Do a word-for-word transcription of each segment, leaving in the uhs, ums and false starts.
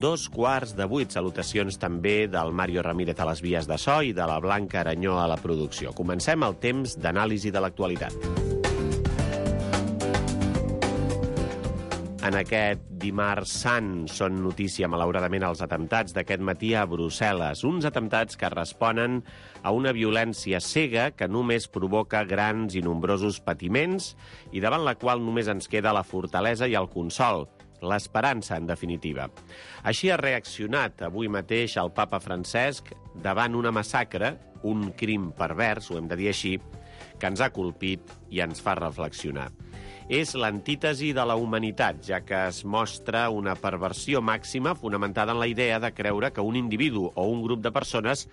Dos quarts de vuit. Salutacions també del Mario Ramírez a les vies de so i de la Blanca Aranyó a la producció. Comencem el temps d'anàlisi de l'actualitat. En aquest dimarts sant són notícia, malauradament, els atemptats d'aquest matí a Brussel·les. Uns atemptats que responen a una violència cega que només provoca grans i nombrosos patiments i davant la qual només ens queda la fortalesa i el consol, l'esperança, en definitiva. Així ha reaccionat avui mateix el papa Francesc davant una massacre, un crim pervers, ho hem de dir així, que ens ha colpit i ens fa reflexionar. És l'antítesi de la humanitat, ja que es mostra una perversió màxima fonamentada en la idea de creure que un individu o un grup de persones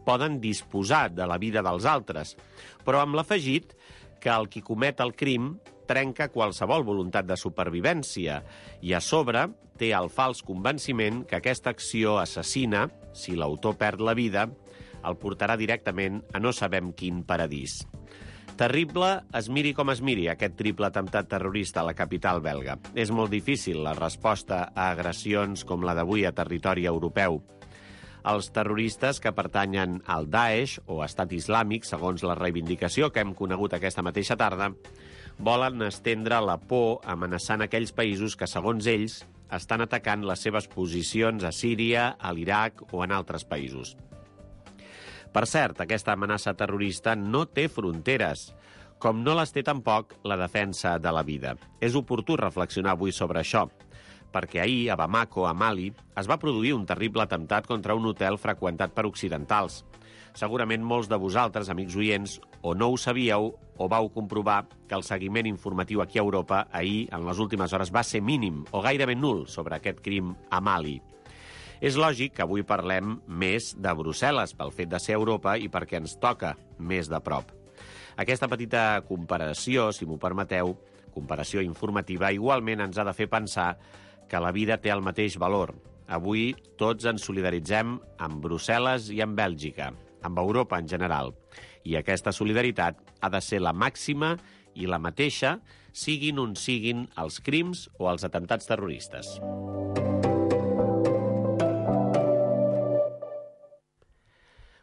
poden disposar de la vida dels altres, però amb l'afegit que el qui comet el crim trenca qualsevol voluntat de supervivència i, a sobre, té el fals convenciment que aquesta acció assassina, si l'autor perd la vida, el portarà directament a no sabem quin paradís. Terrible, es miri com es miri, aquest triple atemptat terrorista a la capital belga. És molt difícil la resposta a agressions com la d'avui a territori europeu. Els terroristes que pertanyen al Daesh o Estat Islàmic, segons la reivindicació que hem conegut aquesta mateixa tarda, volen estendre la por amenaçant aquells països que, segons ells, estan atacant les seves posicions a Síria, a l'Iraq o en altres països. Per cert, aquesta amenaça terrorista no té fronteres, com no les té tampoc la defensa de la vida. És oportú reflexionar avui sobre això, perquè ahir, a Bamako, a Mali, es va produir un terrible atemptat contra un hotel freqüentat per occidentals. Segurament molts de vosaltres, amics oients, o no ho sabíeu o vau comprovar que el seguiment informatiu aquí a Europa ahir, en les últimes hores, va ser mínim o gairebé nul sobre aquest crim a Mali. És lògic que avui parlem més de Brussel·les pel fet de ser Europa i perquè ens toca més de prop. Aquesta petita comparació, si m'ho permeteu, comparació informativa, igualment ens ha de fer pensar que la vida té el mateix valor. Avui tots ens solidaritzem amb Brussel·les i amb Bèlgica, amb Europa en general. I aquesta solidaritat ha de ser la màxima i la mateixa, siguin on siguin els crims o els atemptats terroristes.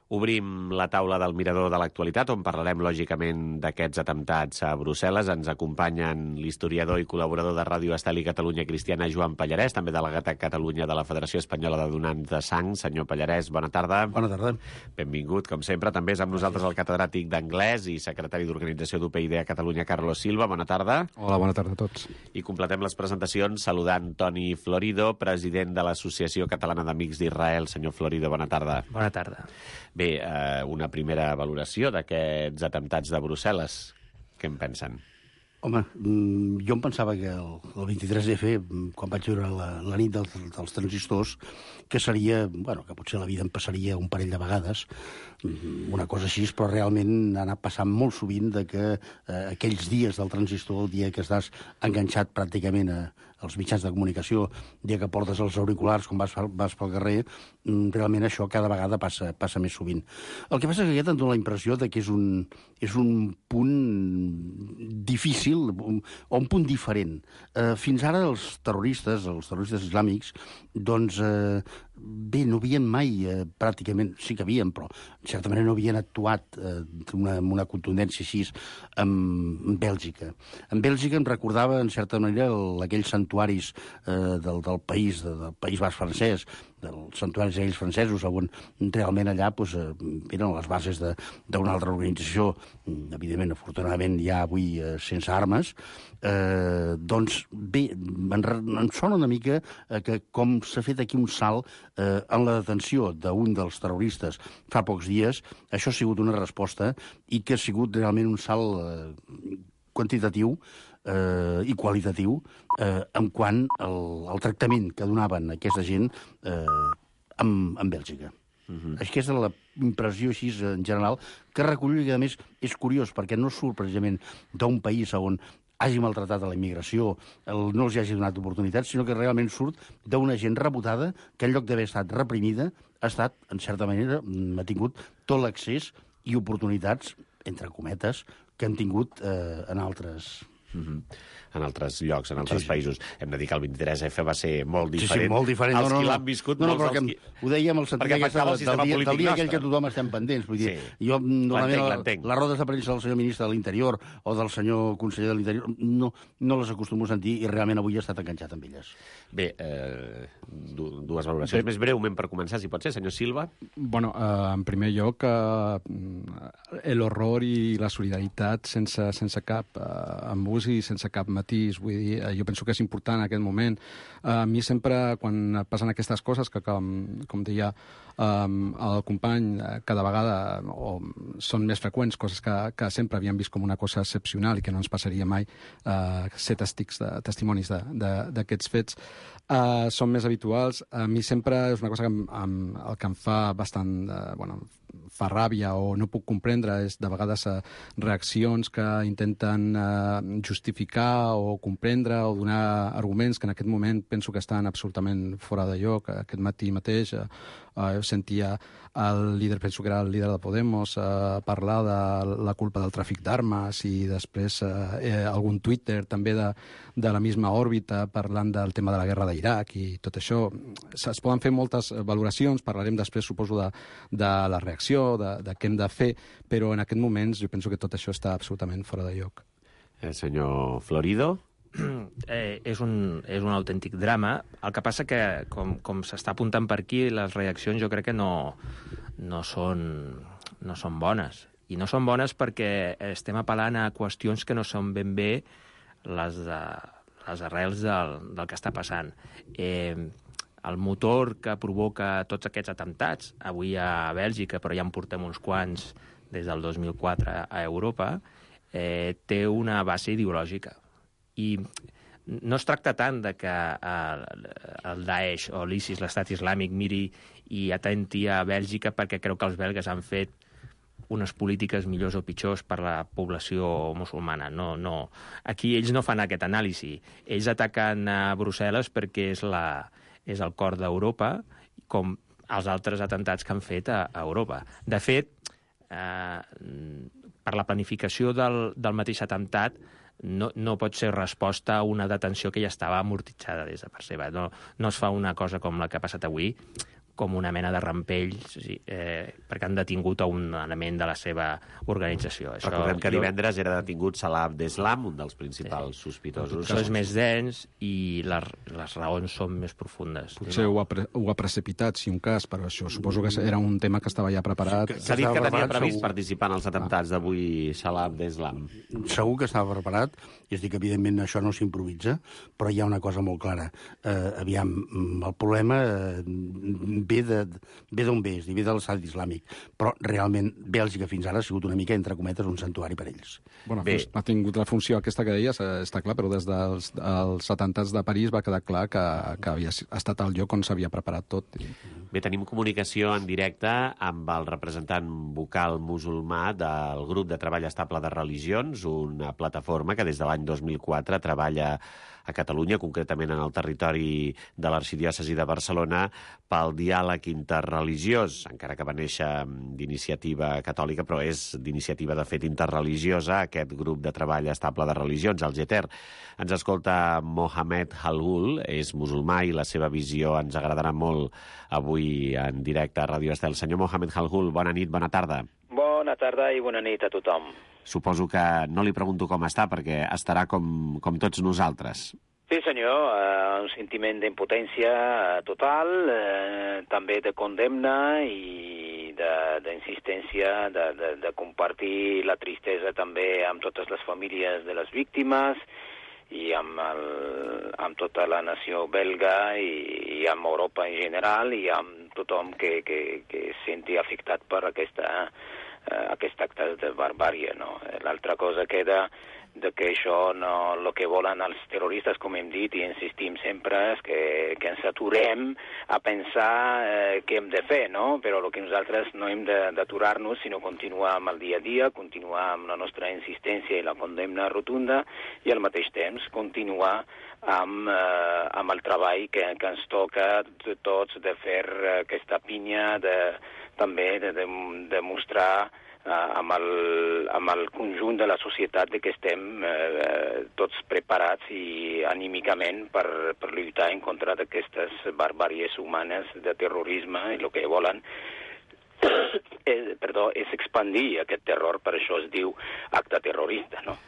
Obrim la taula del mirador de l'actualitat, on parlarem, lògicament, d'aquests atemptats a Brussel·les. Ens acompanyen l'historiador i col·laborador de Ràdio Estel i Catalunya Cristiana, Joan Pallarès, també delegat a Catalunya de la Federació Espanyola de Donants de Sang. Senyor Pallarès, bona tarda. Bona tarda. Benvingut, com sempre. També és amb nosaltres el catedràtic d'anglès i secretari d'organització d'U P I D a Catalunya, Carlos Silva. Bona tarda. Hola, bona tarda a tots. I completem les presentacions saludant Toni Florido, president de l'Associació Catalana d'Amics d'Israel. Senyor Florido, bona tarda. Bona tarda. Bé, eh, una primera valoració d'aquests atemptats de Brussel·les. Què en pensen? Home, jo em pensava que el, el vint-i-tres F, quan vaig veure la, la nit dels, dels transistors, que seria, bueno, que potser la vida em passaria un parell de vegades, una cosa així, però realment ha anat passant molt sovint de que eh, aquells dies del transistor, el dia que estàs enganxat pràcticament a, als mitjans de comunicació, el dia que portes els auriculars quan vas, vas pel carrer, realment això cada vegada passa, passa més sovint. El que passa és que aquest em dóna la impressió de que és un, és un punt difícil, o un punt diferent. Eh, fins ara els terroristes, els terroristes islàmics, doncs, eh, bé, no havien mai, eh, pràcticament, sí que havien, però en certa manera no havien actuat eh, una, amb una contundència així amb, amb Bèlgica. En Bèlgica em recordava, en certa manera, el, aquells santuaris eh, del, del país, de, del País Basc francès, dels santuaris aquells francesos, on realment allà doncs, eren les bases d'una altra organització, evidentment, afortunadament, ja avui eh, sense armes. Eh, doncs, bé, em, em sona una mica eh, que com s'ha fet aquí un salt eh, en la detenció d'un dels terroristes fa pocs dies, això ha sigut una resposta i que ha sigut realment un salt eh, quantitatiu eh, i qualitatiu eh, en quant al, al tractament que donaven aquesta gent eh, amb, amb Bèlgica. Uh-huh. Aquesta és la impressió així en general que recullo i a més és curiós perquè no surt precisament d'un país on hagi maltratat a la immigració, el, no els hagi donat oportunitats, sinó que realment surt d'una gent rebotada que en lloc d'haver estat reprimida ha estat, en certa manera, ha tingut tot l'accés i oportunitats, entre cometes, que han tingut eh, en altres Mm-hmm. En altres llocs, en altres sí, sí. països. Hem de dir que el vint-i-tres efe va ser molt diferent. Sí, sí, molt diferent. Els no, no, qui no. l'han viscut, no, no, molts dels qui... Ho dèiem el sentit aquesta, del, del, dia, del dia aquell que tothom estem pendents. Vull dir, sí. Jo, normalment, les rodes de premsa del senyor ministre de l'Interior o del senyor conseller de l'Interior no, no les acostumo a sentir i realment avui he estat enganxat amb elles. Bé, eh, dues valoracions. Bé. Més breument per començar, si pot ser, senyor Silva. Bueno, eh, en primer lloc, eh, l'horror i la solidaritat sense, sense cap eh, embús i sense cap matís. Vull dir, eh, jo penso que és important en aquest moment. Eh, a mi sempre, quan passen aquestes coses, que com, com deia eh, el company, eh, cada vegada o són més freqüents, coses que, que sempre havíem vist com una cosa excepcional i que no ens passaria mai, eh, ser testics de, testimonis d'aquests fets, Uh, són més habituals. A mi sempre és una cosa que em, em, el que em fa bastant... Uh, bueno, fa ràbia o no puc comprendre és de vegades uh, reaccions que intenten uh, justificar o comprendre o donar arguments que en aquest moment penso que estan absolutament fora de lloc. Aquest matí mateix uh, uh, sentia el líder, penso que era el líder de Podemos, uh, parlar de la culpa del tràfic d'armes i després uh, eh, algun Twitter també de, de la misma òrbita parlant del tema de la guerra d'Iraq i tot això. Es poden fer moltes valoracions, parlarem després, suposo, de, de la reacció, de, de què hem de fer, però en aquest moment jo penso que tot això està absolutament fora de lloc. El senyor Florido? Eh, és, un, és un autèntic drama. El que passa que, com, com s'està apuntant per aquí, les reaccions jo crec que no, no, són, no són bones. I no són bones perquè estem apel·lant a qüestions que no són ben bé les, de, les arrels del, del que està passant. Eh, el motor que provoca tots aquests atemptats, avui a Bèlgica, però ja en portem uns quants des del dos mil quatre a Europa, eh, té una base ideològica. I no es tracta tant de que el, el Daesh o l'ISIS, l'estat islàmic, miri i atenti a Bèlgica perquè creu que els belgues han fet unes polítiques millors o pitjors per la població musulmana. No, no. Aquí ells no fan aquest anàlisi. Ells ataquen a Brussel·les perquè és, la, és el cor d'Europa, com els altres atemptats que han fet a, a Europa. De fet, eh, per la planificació del, del mateix atemptat, No, no pot ser resposta a una detenció que ja estava amortitzada des de per seva. No, no es fa una cosa com la que ha passat avui, com una mena de rampell, sí, eh, perquè han detingut a un element de la seva organització. Això, Recordem que divendres era detingut Salah Abdeslam, un dels principals sí. sospitosos. Això és més dens i les, les raons són més profundes. Potser ho ha, pre ho ha precipitat, si un cas, però això suposo que era un tema que estava ja preparat. S'ha dit que tenia previst segur. participar en els atemptats d'avui Salah Abdeslam. Segur que estava preparat, i es diu que evidentment això no s'improvisa, però hi ha una cosa molt clara. Eh, aviam, el problema eh, ve d'on ve, és dir, ve de l'estat islàmic, però realment Bèlgica fins ara ha sigut una mica, entre cometes, un santuari per ells. Bueno, Bé. ha tingut la funció aquesta que deies, està clar, però des dels els atemptats de París va quedar clar que, que havia estat el lloc on s'havia preparat tot. Bé, tenim comunicació en directe amb el representant vocal musulmà del grup de treball estable de religions, una plataforma que des de l'any dos mil quatre treballa a Catalunya, concretament en el territori de l'arxidiòcesi de Barcelona, pel diàleg interreligiós, encara que va néixer d'iniciativa catòlica, però és d'iniciativa de fet interreligiosa, aquest grup de treball estable de religions, el GETER. Ens escolta Mohamed Halgul, és musulmà i la seva visió ens agradarà molt avui en directe a Ràdio Estel. Senyor Mohamed Halgul, bona nit, bona tarda. Bona tarda i bona nit a tothom. Suposo que no li pregunto com està, perquè estarà com, com tots nosaltres. Sí, senyor, eh, un sentiment d'impotència total, eh, també de condemna i d'insistència de, de, de, de compartir la tristesa també amb totes les famílies de les víctimes i amb, el, amb tota la nació belga i, i amb Europa en general i amb tothom que, que, que es senti afectat per aquesta Uh, aquest acte de barbària, no? L'altra cosa queda de que això, no, el que volen els terroristes, com hem dit i insistim sempre, és que, que ens aturem a pensar eh, què hem de fer, no? Però el que nosaltres no hem d'aturar-nos, sinó continuar amb el dia a dia, continuar amb la nostra insistència i la condemna rotunda i al mateix temps continuar amb, eh, amb el treball que, que ens toca de tots de fer aquesta pinya de també de, de, de mostrar amb el, amb el conjunt de la societat de que estem eh, tots preparats i anímicament per, per lluitar en contra d'aquestes barbàries humanes de terrorisme, i el que volen és, perdó, és expandir aquest terror, per això es diu acte terrorista, no?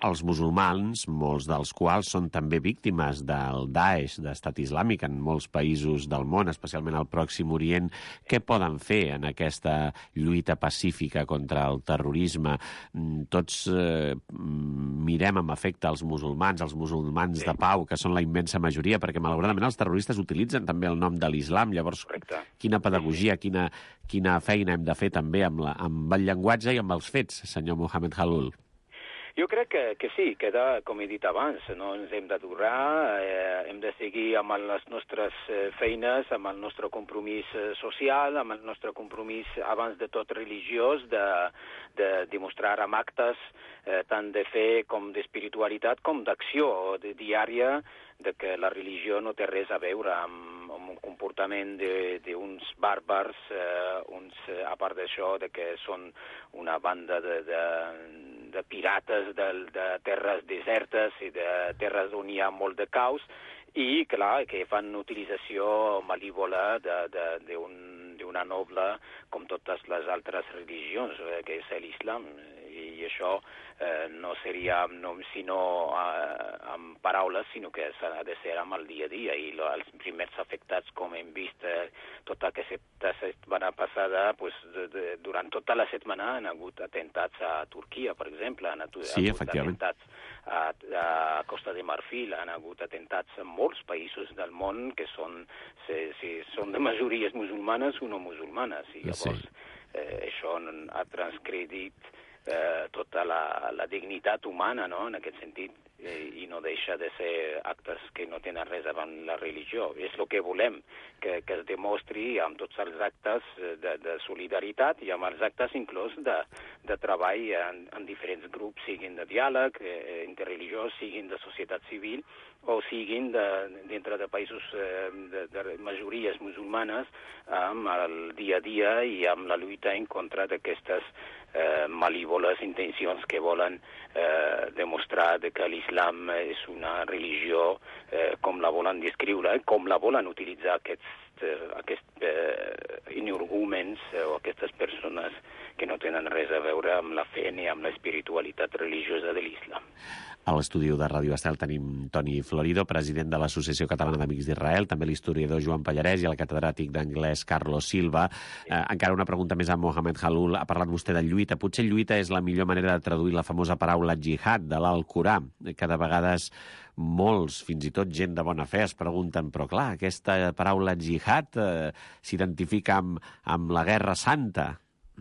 Els musulmans, molts dels quals són també víctimes del Daesh, d'Estat Islàmic, en molts països del món, especialment al Pròxim Orient, què poden fer en aquesta lluita pacífica contra el terrorisme? Tots eh, mirem amb afecte els musulmans, els musulmans de pau, que són la immensa majoria, perquè malauradament els terroristes utilitzen també el nom de l'islam. Llavors, Correcte. Quina pedagogia, quina, quina feina hem de fer també amb, la, amb el llenguatge i amb els fets, senyor Mohamed Khalloul? Jo crec que, que sí, que de, com he dit abans, no ens hem d'aturar, eh, hem de seguir amb les nostres eh, feines, amb el nostre compromís eh, social, amb el nostre compromís, abans de tot, religiós, de, de demostrar amb actes eh, tant de fe com d'espiritualitat, com d'acció de, diària, de que la religió no té res a veure amb, amb un comportament d'uns bàrbars, eh, uns, a part d'això, de que són una banda de, de, de pirates de, de terres desertes i de terres on hi ha molt de caos, i, clar, que fan utilització malívola d'una noble, com totes les altres religions, eh, que és l'islam. I això eh, no seria no, sinó eh, amb paraules, sinó que s'ha de ser amb el dia a dia. I lo, els primers afectats, com hem vist eh, tota aquesta setmana passada, pues, de, de, durant tota la setmana han hagut atentats a Turquia, per exemple, han hagut, sí, hagut atentats a, a Costa de Marfil, han hagut atentats en molts països del món que són, si, si són de majories musulmanes o no musulmanes. I llavors sí. eh, això ha transcredit Eh, tota la, la dignitat humana, no?, en aquest sentit, eh, i no deixa de ser actes que no tenen res davant la religió. És el que volem, que, que es demostri amb tots els actes de, de solidaritat i amb els actes inclús de, de treball en, en diferents grups, siguin de diàleg, eh, interreligiós, siguin de societat civil, o siguin de, dintre de països eh, de, de majories musulmanes, amb el dia a dia i amb la lluita en contra d'aquestes Eh, malívoles intencions que volen eh, demostrar de que l'islam és una religió eh, com la volen descriure, com la volen utilitzar aquests, eh, aquests eh, energúmens eh, o aquestes persones que no tenen res a veure amb la fe ni amb l'espiritualitat religiosa de l'islam. A l'estudi de Ràdio Estel tenim Toni Florido, president de l'Associació Catalana d'Amics d'Israel, també l'historiador Joan Pallarès i el catedràtic d'anglès Carlos Silva. Eh, encara una pregunta més a Mohamed Khalloul. Ha parlat vostè de lluita. Potser lluita és la millor manera de traduir la famosa paraula jihad de l'Alcorà, que de vegades molts, fins i tot gent de bona fe, es pregunten, però clar, aquesta paraula jihad eh, s'identifica amb, amb la Guerra Santa.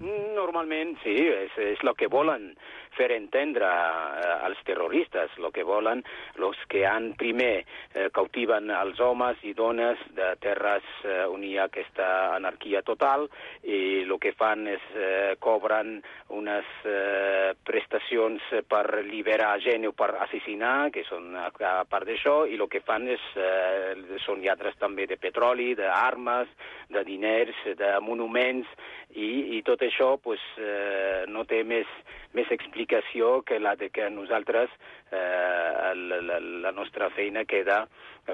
Normalment, sí, és, és el que volen fer entendre eh, als terroristes, el que volen, els que han primer eh, cautiven els homes i dones de terres eh, on hi ha aquesta anarquia total, i el que fan és eh, cobren unes eh, prestacions per liberar gent o per assassinar, que són a, a part d'això, i el que fan és, eh, són lladres també de petroli, d'armes, de diners, de monuments, i, i tot això pues, eh, no té més, més explicació que la de que nosaltres eh, la, la nostra feina queda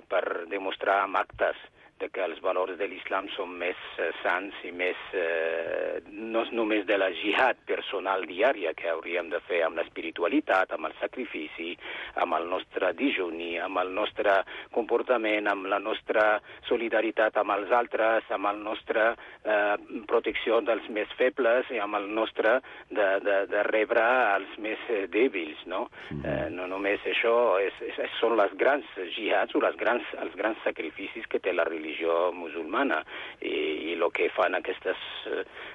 per demostrar amb actes de que els valors de l'islam són més eh, sants i més, eh, no només de la jihad personal diària que hauríem de fer amb l'espiritualitat, amb el sacrifici, amb el nostre dijuni, amb el nostre comportament, amb la nostra solidaritat amb els altres, amb el nostre eh, protecció dels més febles i amb el nostre de, de, de rebre els més eh, dèbils, no? Eh, no només això, és, és, són les grans jihads o les grans, els grans sacrificis que té la religió musulmana, i, i el que fan aquestes,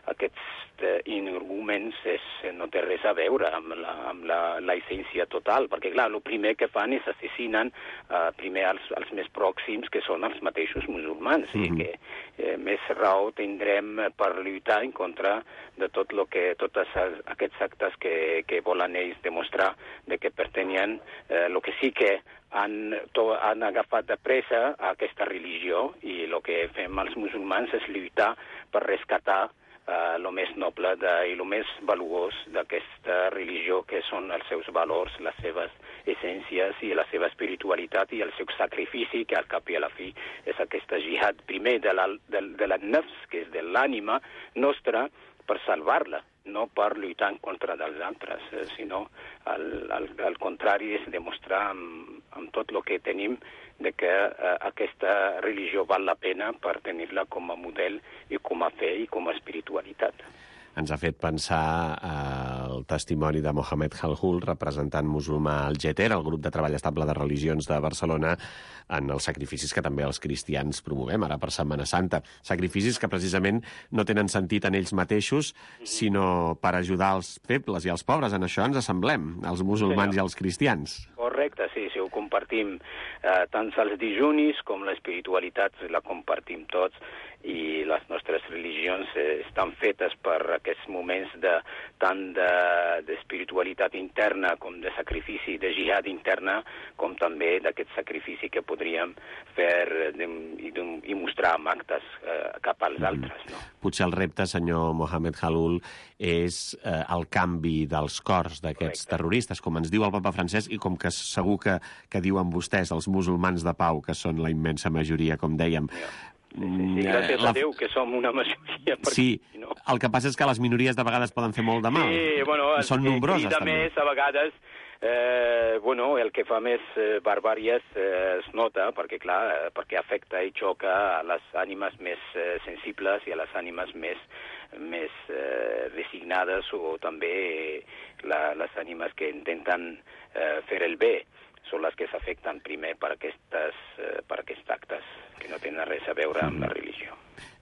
aquests energúmens és, no té res a veure amb la, amb la, la essència total, perquè clar, el primer que fan és assassinen uh, primer els, els més pròxims, que són els mateixos musulmans, mm-hmm. i, que, eh, més raó tindrem per lluitar en contra de tot lo que, tots aquests actes que, que volen ells demostrar de que pertanyen, eh, lo que sí que han, to, han agafat de pressa a aquesta religió, i el que fem els musulmans és lluitar per rescatar el uh, més noble de, i el més valuós d'aquesta religió, que són els seus valors, les seves essències i la seva espiritualitat i el seu sacrifici, que al cap i a la fi és aquesta jihad, primer de la, de, de la nafs, que és de l'ànima nostra, per salvar-la, no per lluitar en contra dels altres, eh, sinó al, al, al contrari, és demostrar amb, amb tot el que tenim de que eh, aquesta religió val la pena per tenir-la com a model i com a fe i com a espiritualitat. Ens ha fet pensar eh, el testimoni de Mohamed Halhul, representant musulmà al Geter, el grup de treball estable de religions de Barcelona, en els sacrificis que també els cristians promovem ara per Setmana Santa. Sacrificis que precisament no tenen sentit en ells mateixos, sinó per ajudar els febles i els pobres. En això ens assemblem, els musulmans sí, i els cristians. Correcte, sí, sí, ho compartim. Eh, tant els dijunis com l'espiritualitat la compartim tots, i les nostres religions eh, estan fetes per aquests moments de, tant d'espiritualitat de, interna com de sacrifici, de jihad interna, com també d'aquest sacrifici que podríem fer de, i, de, i mostrar amb actes eh, cap als mm. altres. No? Potser el repte, senyor Mohamed Halhul, és eh, el canvi dels cors d'aquests terroristes, com ens diu el papa Francesc, i com que segur que, que diuen vostès, els musulmans de pau, que són la immensa majoria, com dèiem. Yeah. Sí, sí, sí, gràcies la... a Déu que som una majoria. Sí, no. El que passa és que les minories de vegades poden fer molt de mal. Sí, bueno, I són nombroses, també. Més, a vegades, eh, bueno, el que fa més eh, barbàries eh, es nota, perquè, clar, eh, perquè afecta i xoca a les ànimes més eh, sensibles i a les ànimes més, més eh, resignades, o també la, les ànimes que intenten eh, fer el bé. Són les que s'afecten primer per, aquestes, eh, per aquests actes que no tenen res a veure amb la religió.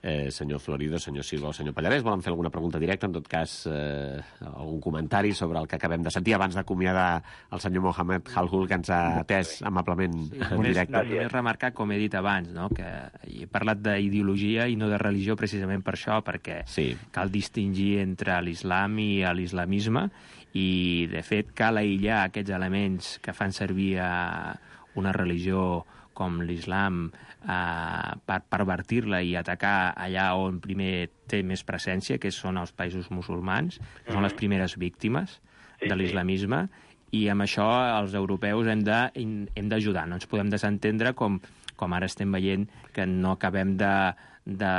Eh, senyor Florido, senyor Silva o senyor Pallarès, volen fer alguna pregunta directa? En tot cas, eh, algun comentari sobre el que acabem de sentir abans d'acomiadar el senyor Mohamed Halhul, que ens ha atès amablement sí, en directe. Només remarcar, com he dit abans, no? que he parlat d'ideologia i no de religió precisament per això, perquè sí. cal distingir entre l'islam i l'islamisme, i, de fet, cal aïllar aquests elements que fan servir a una religió com l'islam eh, per pervertir-la i atacar allà on primer té més presència, que són els països musulmans, que mm-hmm. són les primeres víctimes sí, de l'islamisme, i amb això els europeus hem de, hem d'ajudar. No ens podem desentendre com, com ara estem veient que no acabem de... De,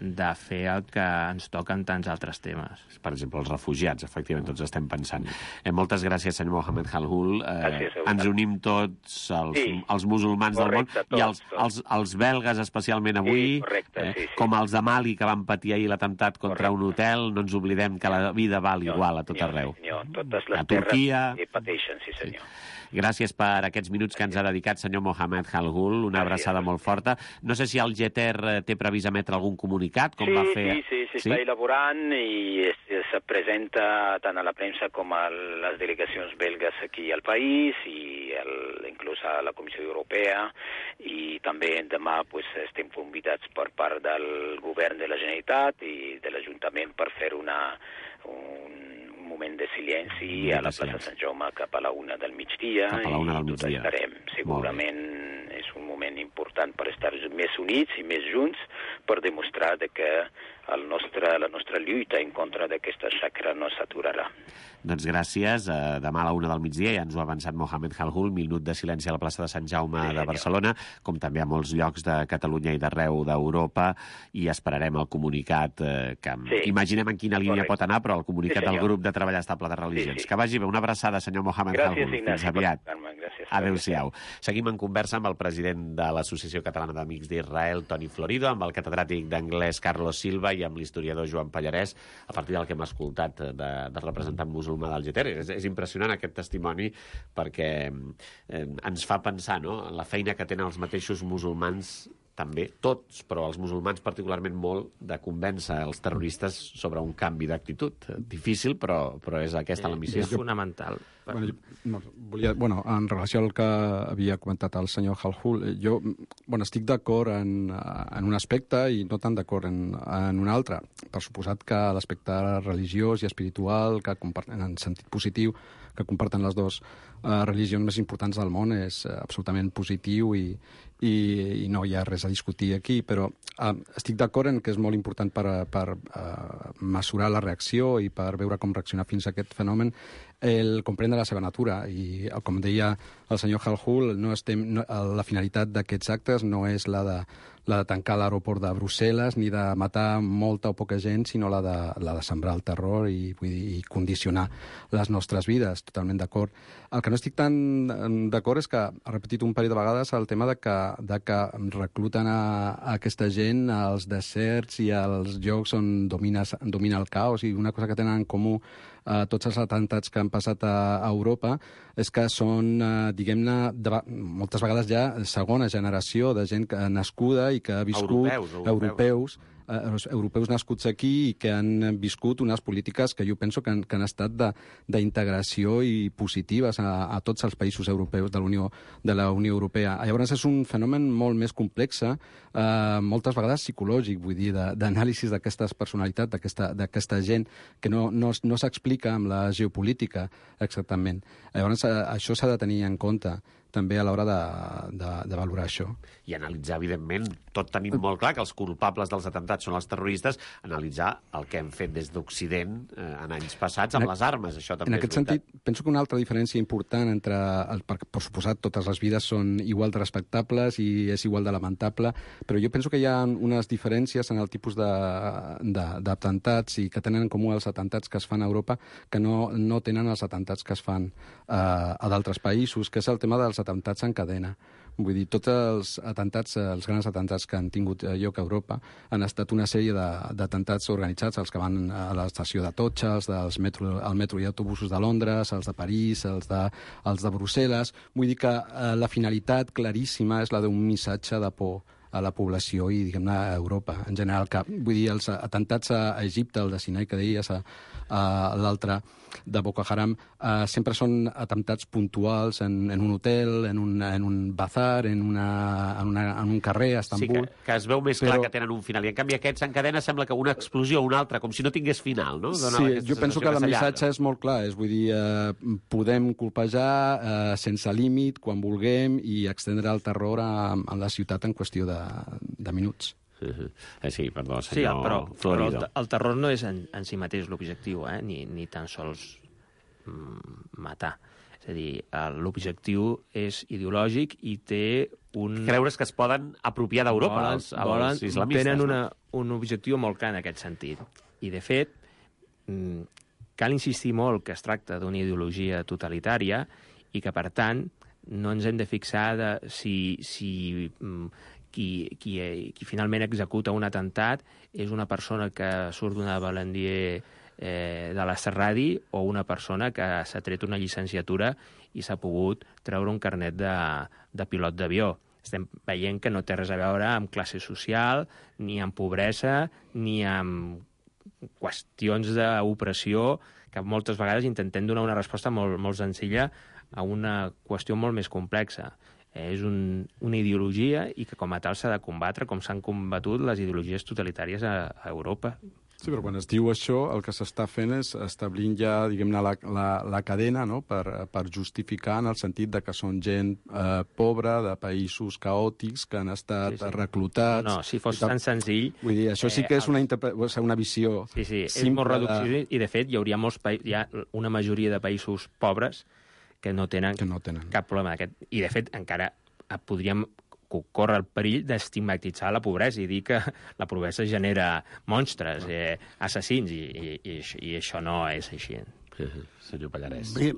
de fer el que ens toca en tants altres temes. Per exemple, els refugiats, efectivament, tots estem pensant. Eh, moltes gràcies, senyor Mohamed Halhul. Eh, ens unim tots, els, sí. els musulmans correcte, del món, tots, i els, els, els belgues, especialment avui, sí, correcte, eh, sí, sí. com els de Mali, que van patir ahir l'atemptat contra correcte. un hotel. No ens oblidem que la vida val no, igual a tot no, arreu. Senyor, totes les a Turquia... terres pateixen, sí, senyor. Sí. Gràcies per aquests minuts que ens ha dedicat, senyor Mohamed Halhul. Una abraçada molt forta. No sé si el Geter té previst emetre algun comunicat, com sí, va fer... Sí, sí, s'està sí? elaborant i es, es presenta tant a la premsa com a les delegacions belgues aquí al país, i el, inclús a la Comissió Europea, i també demà pues, estem convidats per part del govern de la Generalitat i de l'Ajuntament per fer una... un moment de silenci a la plaça Sant Jaume cap a la una del migdia, cap a la una del migdia. I tot estarem. Segurament és un moment important per estar més units i més junts, per demostrar de que el nostre, la nostra lluita en contra d'aquesta xacra no s'aturarà. Doncs gràcies. Demà a la una del migdia ja ens ho ha avançat Mohamed Halhul, minut de silenci a la plaça de Sant Jaume sí, de Barcelona, com també a molts llocs de Catalunya i d'arreu d'Europa, i esperarem el comunicat eh, que sí. imaginem en quina línia Correcte. pot anar, però el comunicat sí, del grup de treball estable de religions. Sí, sí. Que vagi bé. Una abraçada, senyor Mohamed gràcies, Halhul. Ignasi, Fins aviat. Gràcies. Adéu-siau. Seguim en conversa amb el president de l'Associació Catalana d'Amics d'Israel, Toni Florido, amb el catedràtic d'anglès Carlos Silva i amb l'historiador Joan Pallarès, a partir del que hem escoltat de, de representant musulmà del Geter. És, és impressionant aquest testimoni perquè eh, ens fa pensar, no?, en la feina que tenen els mateixos musulmans també, tots, però els musulmans particularment molt, de convèncer els terroristes sobre un canvi d'actitud. Difícil, però, però és aquesta la missió. És fonamental. Bueno, no, volia, bueno, en relació al que havia comentat el senyor Halhul, jo bueno, estic d'acord en, en un aspecte i no tan d'acord en, en un altre. Per suposat que l'aspecte religiós i espiritual, que comparten, en sentit positiu, que comparten les dues uh, religions més importants del món, és uh, absolutament positiu i, i, i no hi ha res a discutir aquí, però uh, estic d'acord en que és molt important per, per uh, mesurar la reacció i per veure com reaccionar fins a aquest fenomen el comprendre la seva natura. I, com deia el senyor Halhul, no estem, no, la finalitat d'aquests actes no és la de, la de tancar l'aeroport de Brussel·les ni de matar molta o poca gent, sinó la de, la de sembrar el terror i, vull dir, i condicionar les nostres vides. Totalment d'acord. El que no estic tan d'acord és que ha repetit un parell de vegades el tema de que, de que recluten a, a aquesta gent als deserts i als llocs on domina, domina el caos, i una cosa que tenen en comú Uh, tots els atemptats que han passat a, a Europa és que són, uh, diguem-ne, de, moltes vegades ja segona generació de gent que, nascuda i que ha viscut... Europeus, europeus. europeus eh, europeus nascuts aquí i que han viscut unes polítiques que jo penso que han, que han estat d'integració i positives a, a tots els països europeus de, Unió, de la Unió Europea. Llavors és un fenomen molt més complex, eh, moltes vegades psicològic, vull dir, d'anàlisis d'aquestes personalitats, d'aquesta gent, que no, no, no s'explica amb la geopolítica exactament. Llavors això s'ha de tenir en compte també a l'hora de, de, de valorar això. I analitzar, evidentment, tot tenim molt clar que els culpables dels atemptats són els terroristes, analitzar el que hem fet des d'Occident eh, en anys passats amb en les armes. Això també en aquest sentit, penso que una altra diferència important entre, el, per, per suposat, totes les vides són igual de respectables i és igual de lamentable, però jo penso que hi ha unes diferències en el tipus d'atemptats i que tenen en comú els atemptats que es fan a Europa que no, no tenen els atemptats que es fan eh, a d'altres països, que és el tema dels atemptats en cadena. Vull dir, tots els atemptats, els grans atemptats que han tingut lloc a Europa han estat una sèrie d'atemptats organitzats, els que van a l'estació de Totxa, els del metro, el metro i autobusos de Londres, els de París, els de, els de Brussel·les. Vull dir que eh, la finalitat claríssima és la d'un missatge de por a la població i, diguem-ne, a Europa en general. Que, vull dir, els atemptats a Egipte, el de Sinai que deies, a, a l'altre de Boko Haram, eh, sempre són atemptats puntuals en, en un hotel, en un, en un bazar, en, una, en, una, en un carrer a Estambul. Sí, que, que es veu més clar però... que tenen un final. I, en canvi, aquests en cadena sembla que una explosió o una altra, com si no tingués final, no? Dona sí, jo penso que, que el missatge és molt clar. És, vull dir, eh, podem colpejar eh, sense límit, quan vulguem, i extendre el terror a, a la ciutat en qüestió de, de minuts. Uh-huh. Eh, sí, perdó, senyor sí, però, però el, Florido. el terror no és en, en si mateix l'objectiu, eh? ni, ni tan sols mm, matar. És a dir, l'objectiu és ideològic i té un... Creures que es poden apropiar d'Europa els, els volen, islamistes. Tenen no? una, un objectiu molt clar en aquest sentit. I, de fet, mm, cal insistir molt que es tracta d'una ideologia totalitària i que, per tant, no ens hem de fixar de si... si mm, Qui, qui, qui finalment executa un atemptat és una persona que surt d'una balandier eh, de la Serradi o una persona que s'ha tret una llicenciatura i s'ha pogut treure un carnet de, de pilot d'avió. Estem veient que no té res a veure amb classe social, ni amb pobresa, ni amb qüestions d'opressió, que moltes vegades intentem donar una resposta molt, molt senzilla a una qüestió molt més complexa. És un, una ideologia i que com a tal s'ha de combatre com s'han combatut les ideologies totalitàries a, a Europa. Sí, però quan es diu això, el que s'està fent és establint ja, diguem-ne, la, la, la cadena, no?, per, per justificar en el sentit de que són gent eh, pobra, de països caòtics, que han estat sí, sí. reclutats... No, no, si fos tan senzill... Vull dir, això sí que és una, interpre... una visió... Sí, sí, és molt reducció i, de fet, hi hauria molts pa... hi ha una majoria de països pobres que no tenen, que no tenen. cap problema d'aquest. I, de fet, encara podríem córrer el perill d'estigmatitzar la pobresa i dir que la pobresa genera monstres, eh, assassins, i, i, i això no és així. Senyor Pallarès. Bé,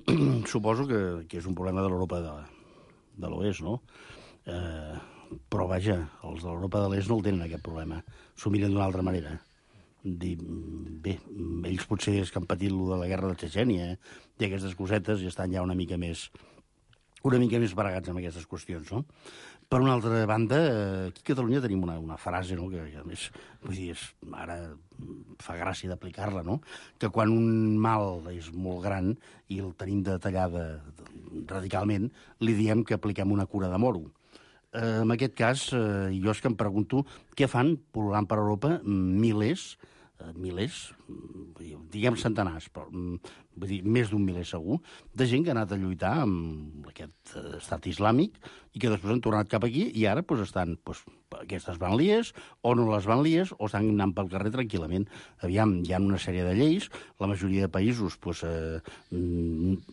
suposo que, que és un problema de l'Europa de, de l'Oest, no? Eh, però, vaja, els de l'Europa de l'Est no el tenen, aquest problema. S'ho miren d'una altra manera. Dir, bé, ells potser és que han patit lo de la guerra de Txetxènia, eh? I aquestes cosetes i estan ja una mica més una mica més baregats amb aquestes qüestions, no? Per una altra banda, aquí a Catalunya tenim una, una frase, no?, que, que a més, vull dir, és, ara fa gràcia d'aplicar-la, no?, que quan un mal és molt gran i el tenim de tallada radicalment, li diem que apliquem una cura de moro. Eh, en aquest cas, eh, jo és que em pregunto què fan pol·lulant per Europa milers, eh, milers, diguem centenars, però vull dir, més d'un miler segur, de gent que ha anat a lluitar amb aquest estat islàmic i que després han tornat cap aquí i ara pues, estan pues, aquestes banlies o no les banlies o estan anant pel carrer tranquil·lament. Aviam, hi ha una sèrie de lleis, la majoria de països pues, eh,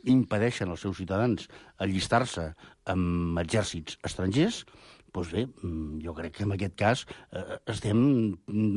impedeixen als seus ciutadans allistar-se amb exèrcits estrangers. Doncs bé, jo crec que en aquest cas eh, estem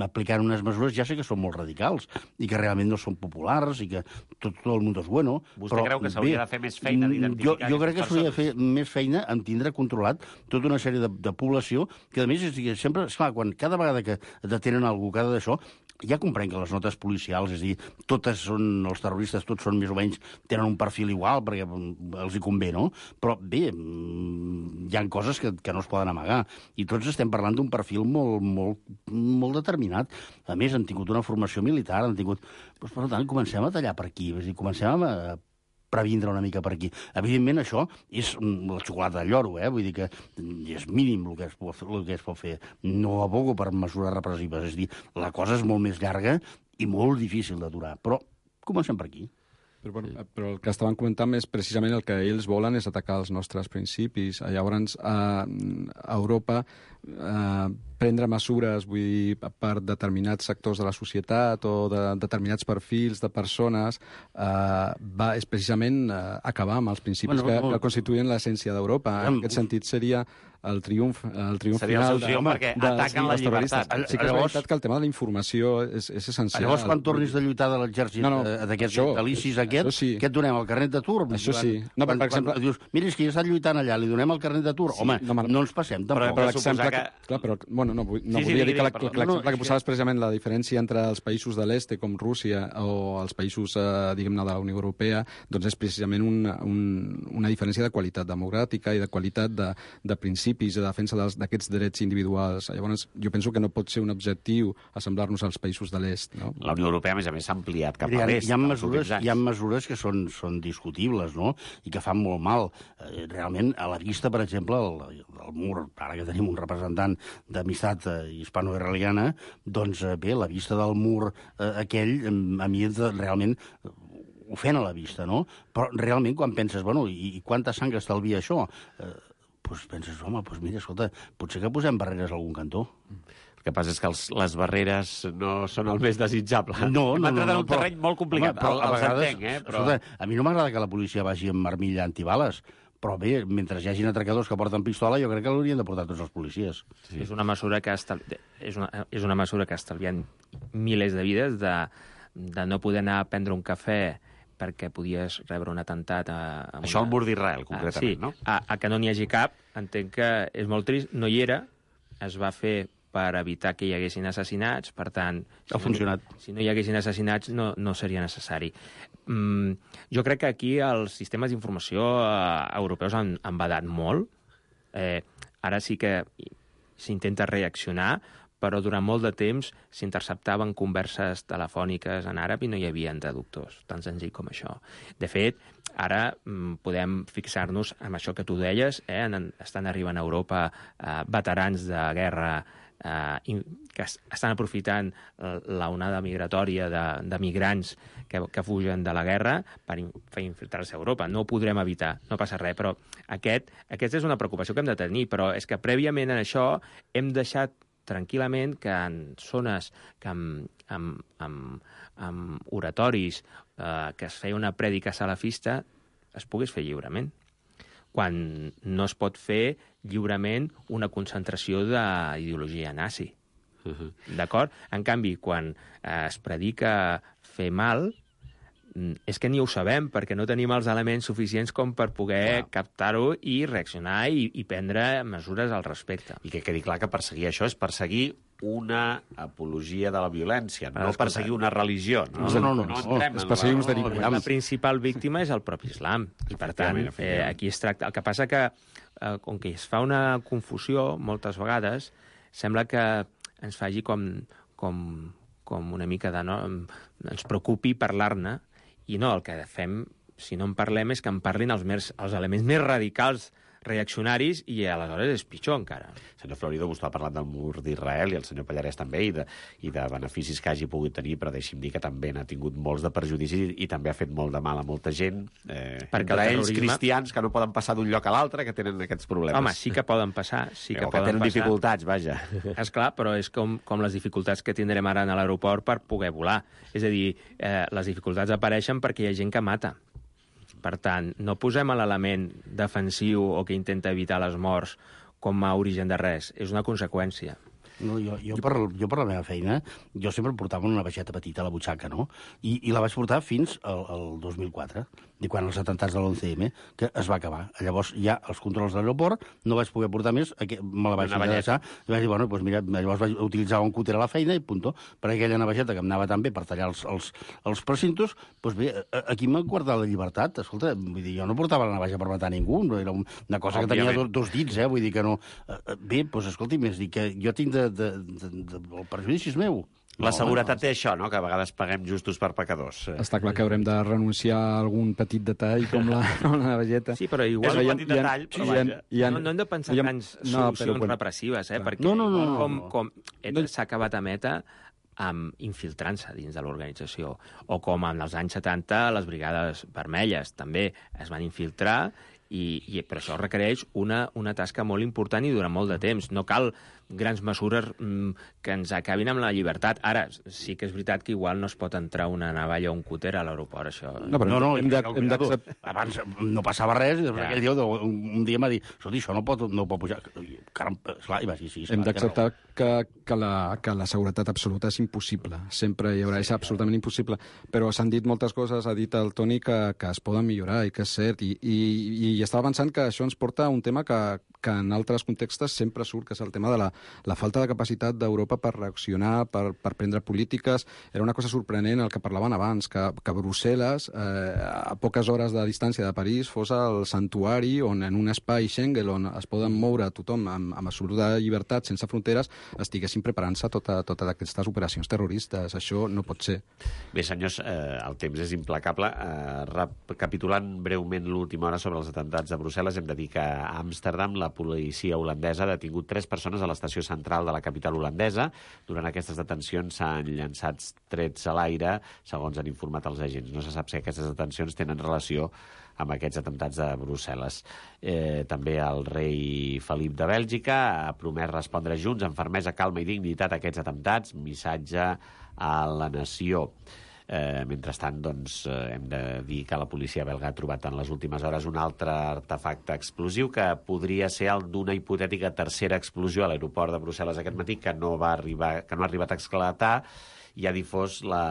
aplicant unes mesures, ja sé que són molt radicals i que realment no són populars i que tot, tot el món és bueno. Vostè però, creu que s'hauria de fer més feina d'identificar jo, jo crec que s'hauria de fer més feina en tindre controlat tota una sèrie de, de població que, a més, és, sempre, esclar, quan cada vegada que detenen algú, cada d'això, ja comprenc que les notes policials, és a dir, totes són, els terroristes tots són més o menys, tenen un perfil igual perquè els hi convé, no? Però bé, hi ha coses que, que no es poden amagar i tots estem parlant d'un perfil molt, molt, molt determinat. A més, han tingut una formació militar, han tingut... Doncs, per tant, comencem a tallar per aquí, és a dir, comencem a previndre una mica per aquí. Evidentment, això és la xocolata del lloro, eh? Vull dir que és mínim el que es pot, el que es pot fer. No abogo per mesures repressives. És a dir, la cosa és molt més llarga i molt difícil d'aturar. Però comencem per aquí. Però, bueno, però el que estaven comentant és precisament el que ells volen és atacar els nostres principis. Llavors, a, a Europa, a, prendre mesures, vull dir, per determinats sectors de la societat o de determinats perfils de persones, eh, va, és precisament eh, acabar amb els principis bueno, que, no, que constituïen l'essència d'Europa. En aquest sentit seria el triomf, el triomf seria final el seu triomf de, perquè de, ataquen la llibertat. Sí que és llavors, veritat que el tema de la informació és, és essencial. Llavors, quan tornis de lluitar de l'exèrcit no, no, d'aquests vitalicis aquest, sí. què et donem, el carnet d'atur? Això sí. No, quan, per exemple... quan dius, mira, és que ja està lluitant allà, li donem el carnet d'atur. Sí, Home, no, no ens passem, tampoc. Però, però l'exemple que... que... Clar, però, bueno, no, no sí, volia sí, dir que l'exemple no, no, que posaves precisament la diferència entre els països de l'est, com Rússia, o els països, eh, diguem-ne, de la Unió Europea, doncs és precisament una, un, una diferència de qualitat democràtica i de qualitat de, de principis i de defensa d'aquests drets individuals. Llavors, jo penso que no pot ser un objectiu assemblar-nos als països de l'est. No? La Unió Europea, a més a més, s'ha ampliat cap a l'est. Hi ha mesures, hi ha mesures que són, són discutibles, no?, i que fan molt mal. Eh, realment, a la vista, per exemple, el, el mur, ara que tenim un representant d'amistat eh, hispano-israeliana, doncs eh, bé, la vista del mur eh, aquell, a mi realment ofèn a la vista, no? Però realment, quan penses, bueno, i, i quanta sang estalvia això? Eh, doncs penses, home, doncs mira, escolta, potser que posem barreres a algun cantó. El que passa és que els, les barreres no són el més desitjable. No, Hem no, entrat no, en no, un terreny però, molt complicat. Home, però, el, a vegades, entenc, eh? Però... Escolta, a mi no m'agrada que la policia vagi amb armilla antibales, però bé, mentre hi hagin atracadors que porten pistola, jo crec que l'haurien de portar tots els policies. Sí. És una mesura que estal... és una, és una mesura que estalvien milers de vides, de, de no poder anar a prendre un cafè perquè podies rebre un atemptat a... a Això una... al mur d'Israel, concretament, sí, no? A, a que no n'hi hagi cap, entenc que és molt trist, no hi era, es va fer per evitar que hi haguessin assassinats, per tant... Si ha funcionat. No, si no hi haguessin assassinats, no, no seria necessari. Mm, jo crec que aquí els sistemes d'informació eh, europeus han, han badat molt. Eh, ara sí que s'intenta reaccionar, però durant molt de temps s'interceptaven converses telefòniques en àrab i no hi havia traductors, tan senzill com això. De fet, ara mm, podem fixar-nos en això que tu deies, eh? en, estan arribant a Europa eh, veterans de guerra eh, que estan aprofitant la onada migratòria de, de migrants que, que fugen de la guerra per, in, per infiltrar-se a Europa. No ho podrem evitar, no passa res, però aquest, aquesta és una preocupació que hem de tenir, però és que prèviament a això hem deixat tranquil·lament que en zones que amb, amb, amb, amb oratoris eh, que es feia una prèdica salafista es pogués fer lliurement, quan no es pot fer lliurement una concentració d'ideologia nazi. Uh-huh. D'acord? En canvi, quan eh, es predica fer mal, és que ni ho sabem, perquè no tenim els elements suficients com per poder wow. captar-ho i reaccionar i, i prendre mesures al respecte. I que quedi clar que perseguir això és perseguir una apologia de la violència, no Escolta, perseguir una religió. No, no, no, no, no, no, no és perseguir uns delinqüents. La principal víctima és el propi islam. I, per tant, eh, aquí es tracta... El que passa que eh, com que es fa una confusió moltes vegades, sembla que ens faci com, com, com una mica de... No, ens preocupi parlar-ne, i no, el que fem, si no en parlem, és que en parlin els, més, els elements més radicals reaccionaris, i aleshores és pitjor encara. Senyor Florido, vostè ha parlat del mur d'Israel, i el senyor Pallarès també, i de, i de beneficis que hagi pogut tenir, però deixi'm dir que també n'ha tingut molts de perjudicis i també ha fet molt de mal a molta gent, eh, perquè entre ells terrorisme... cristians que no poden passar d'un lloc a l'altre, que tenen aquests problemes. Home, sí que poden passar, sí que, que poden tenen passar. dificultats, vaja. És clar, però és com, com les dificultats que tindrem ara a l'aeroport per poder volar. És a dir, eh, les dificultats apareixen perquè hi ha gent que mata. Per tant, no posem l'element defensiu o que intenta evitar les morts com a origen de res. És una conseqüència. No, jo, jo, per, jo per la meva feina, jo sempre portava una baixeta petita a la butxaca, no? I, i la vaig portar fins al, al dos mil quatre, i quan els atemptats de l'onze eme, que es va acabar. Llavors, ja els controls de l'aeroport, no vaig poder portar més, me la vaig deixar, i vaig dir, bueno, doncs mira, llavors vaig utilitzar un cúter a la feina i punto, per aquella navajeta que em anava tan bé per tallar els, els, els precintos, doncs bé, aquí m'ha guardat la llibertat. Escolta, vull dir, jo no portava la navaja per matar ningú, era una cosa que tenia dos, dos dits, eh? Vull dir que no... Bé, doncs escolti, més dir que jo tinc de, de, de, de, el perjudici és meu. La no, seguretat no. té això, no?, que a vegades paguem justos per pecadors. Està clar que haurem de renunciar a algun petit detall, com la, com la navalleta. Sí, però igual... És un petit detall, però vaja. No, no hem de pensar en grans solucions repressives, eh? Perquè no, no, no, com, no. com ETA s'ha acabat amb ETA amb infiltrant-se dins de l'organització, o com en els anys setanta les brigades vermelles també es van infiltrar, i, i però això requereix una, una tasca molt important i durant molt de temps. No cal grans mesures mm, que ens acabin amb la llibertat. Ara, sí que és veritat que igual no es pot entrar una navalla o un cúter a l'aeroport, això... No, però no, no, hem de, hem de... Abans no passava res, i després Ja. aquell dia un, un dia m'ha dit, escolta, això no pot, no pot pujar. Caram, esclar, i va dir, sí, Hem esclar, d'acceptar que, que, la, que la seguretat absoluta és impossible. Sempre hi haurà, és absolutament impossible. Però s'han dit moltes coses, ha dit el Toni, que, que es poden millorar i que és cert. I, i, i estava pensant que això ens porta a un tema que, que en altres contextes sempre surt, que és el tema de la, la falta de capacitat d'Europa per reaccionar, per, per prendre polítiques. Era una cosa sorprenent el que parlaven abans, que, que Brussel·les, eh, a poques hores de distància de París, fos el santuari on en un espai Schengen on es poden moure tothom amb, amb absoluta llibertat, sense fronteres, estiguessin preparant-se totes tota aquestes operacions terroristes. Això no pot ser. Bé, senyors, eh, el temps és implacable. Eh, recapitulant breument l'última hora sobre els atemptats de Brussel·les, hem de dir que a Amsterdam la policia holandesa ha detingut tres persones a l'estació central de la capital holandesa. Durant aquestes detencions s'han llançat trets a l'aire, segons han informat els agents. No se sap si aquestes detencions tenen relació amb aquests atemptats de Brussel·les. Eh, també el rei Felip de Bèlgica ha promès respondre junts amb fermesa, calma i dignitat a aquests atemptats. Missatge a la nació. Eh, mentrestant, doncs, eh, hem de dir que la policia belga ha trobat en les últimes hores un altre artefacte explosiu que podria ser el d'una hipotètica tercera explosió a l'aeroport de Brussel·les aquest matí, que no va arribar, que no ha arribat a esclatar, i ha difós la,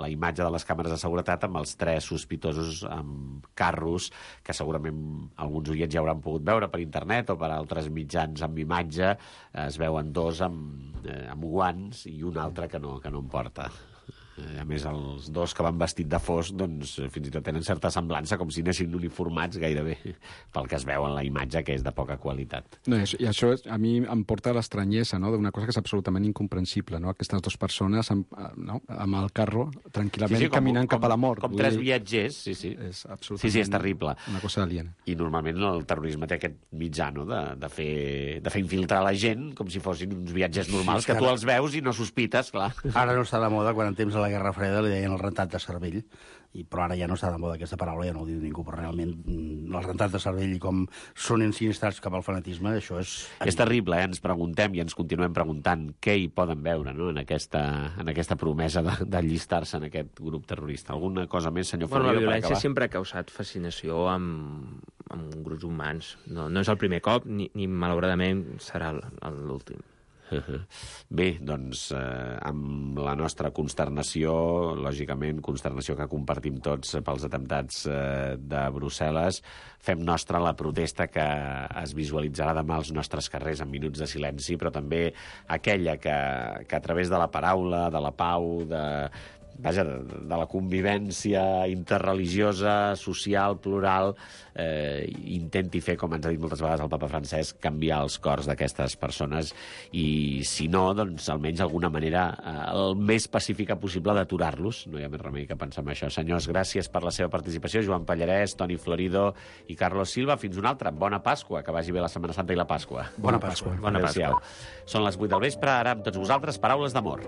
la imatge de les càmeres de seguretat amb els tres sospitosos amb carros, que segurament alguns oients ja hauran pogut veure per internet o per altres mitjans amb imatge. Es veuen dos amb, eh, amb guants i un altre que no, que no en porta. A més, els dos que van vestit de fosc, doncs, fins i tot tenen certa semblança, com si anessin uniformats gairebé, pel que es veu en la imatge, que és de poca qualitat. No, i això és, a mi em porta l'estranyesa, no?, d'una cosa que és absolutament incomprensible, no?, aquestes dues persones amb, no?, amb el carro, tranquil·lament, sí, sí, com, caminant com, cap a la mort. Com tres viatgers, sí, sí. És absolutament sí, sí, és terrible. Una cosa aliena. I normalment el terrorisme té aquest mitjà, no?, de, de, fer, de fer infiltrar la gent com si fossin uns viatgers normals, sí, que tu els veus i no sospites, clar. Ara no està de moda, quan en temps de la Guerra Freda li deien el rentat de cervell, i, però ara ja no està de moda aquesta paraula, ja no ho diu ningú, però realment el rentat de cervell i com són ensinistrats cap al fanatisme, això és... És terrible, eh? Ens preguntem i ens continuem preguntant què hi poden veure, no?, en aquesta, en aquesta promesa d'allistar-se en aquest grup terrorista. Alguna cosa més, senyor bueno, Florido, la violència per acabar? sempre ha causat fascinació amb, amb grups humans. No, no és el primer cop, ni, ni malauradament serà l'últim. Bé, doncs, eh, amb la nostra consternació, lògicament, consternació que compartim tots pels atemptats eh, de Brussel·les, fem nostra la protesta que es visualitzarà demà als nostres carrers en minuts de silenci, però també aquella que, que a través de la paraula, de la pau, de, vaja, de, de la convivència interreligiosa, social, plural, eh, intenti fer, com ens ha dit moltes vegades el papa Francesc, canviar els cors d'aquestes persones i, si no, doncs, almenys d'alguna manera eh, el més pacífica possible d'aturar-los. No hi ha més remei que pensar en això. Senyors, gràcies per la seva participació. Joan Pallarès, Toni Florido i Carlos Silva. Fins una altra. Bona Pasqua. Que vagi bé la Setmana Santa i la Pasqua. Bona Pasqua. Bona Pasqua. Són les vuit del vespre. Ara amb tots vosaltres, paraules d'amor.